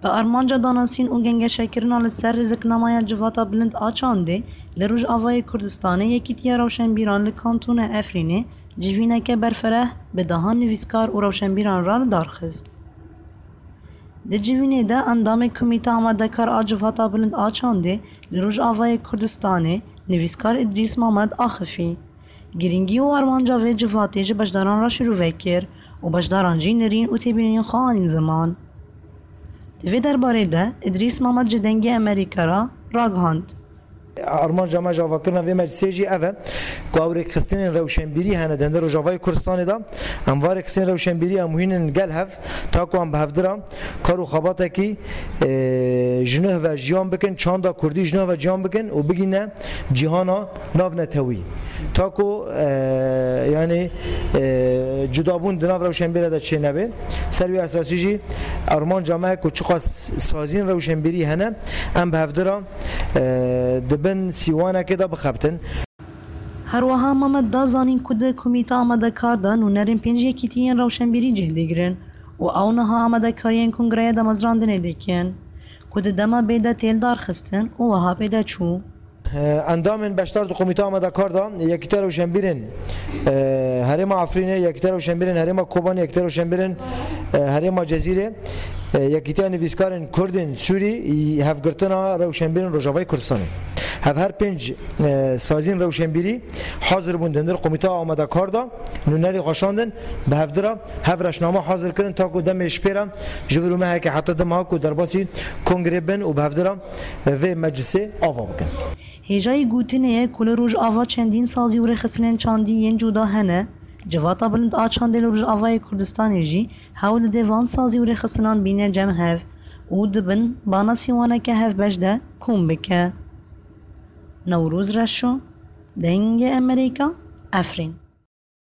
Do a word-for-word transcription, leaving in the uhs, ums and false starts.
Bi armanca danasîn û gengeşekirina li ser rêziknameya Civata Bilind a Çandê li Rojavayê Kurdistanê, Yekîtiya Rewşenbîran li Kantona Efrînê civîneke berfireh bi dehan nivîskar û rewşenbîran re li dar xist. Di civînê de endamê Komîta Amadekar a Civata Bilind a Çandê li Rojavayê Kurdistanê, nivîskar Îdrîs Mamed axifî. Girîngî û armanca vê civatê ji beşdaran re şirove kir û beşdaran jî nerîn û têbînên xwe anîn ziman. Di vê derbarê de Îdrîs Mamed ji Dengê Amerîka re ragihand. Armanca me ji avakirina vê meclisê jî ev e ku ew rêkxistinên rewşenbîrî hene di hundir Rojavayê Kurdistanê de. Em va rêkxistinên rewşenbîrî em hînin gel hev, ta ku em bi hevdira kar û xebatekî, e, ji nuh ve jiyan bikin, çanda kurdî ji nuh ve jiyan bikin û bigîne cîhana navnetewî. Ta ku, e, yanî, e, cudabûn di nav rewşenbîrê de çênebe. Ser wî esasî jî armanca me ku çiqas saziyên rewşenbîrî hene, em bi hevdira, e, di bin sîwanekê de bixebtin. Her wiha Mamed da zanîn ku di Komîta Amadekar de nûnerên pênc yekîtiyên rewşenbîrî cih digirin û ew niha amadekariyên kongreya damezrandinê dikin, ku di dema bê de tê lidarxistin û wiha pê de çû. Endamên beşdar di Komîta Amadekar de Yekîtiya Rewşenbîrên, e, Herêma Efrînê, Yekîtiya Rewşenbîrên Herêma Kobanê, Yekîtiya Rewşenbîrên, e, Herêma Cezîrê, e, Yekîtiya Nivîskarên Kurdên Sûrî, Hevgirtina Rewşenbîrên Rojavayê Kurdistanê. Hev her pênc, e, saziyên rewşenbîrî hazir bûn di hundir Komîta Amadekar de, nûnerî xwe şandin, bi hevdira hev reşname hazir kirin, ta ku demê ji pê re ji vir û mehekê heta dima ku derbasî kongrê bin û bi hevdira vê meclisê ava bikin. Hêjayî gotinê ye ku li Rojava çendîn sazî û rêxistinên çandî yên cuda hene. Civata Bilind a Çandê li Rojavayê Kurdistanê jî hewl dide van sazî û rêxistinan bîne cem hev û di bin bana sîwaneke hevbeş de kom bike. Newroz Reşo, Dengê Amerîka, Efrîn.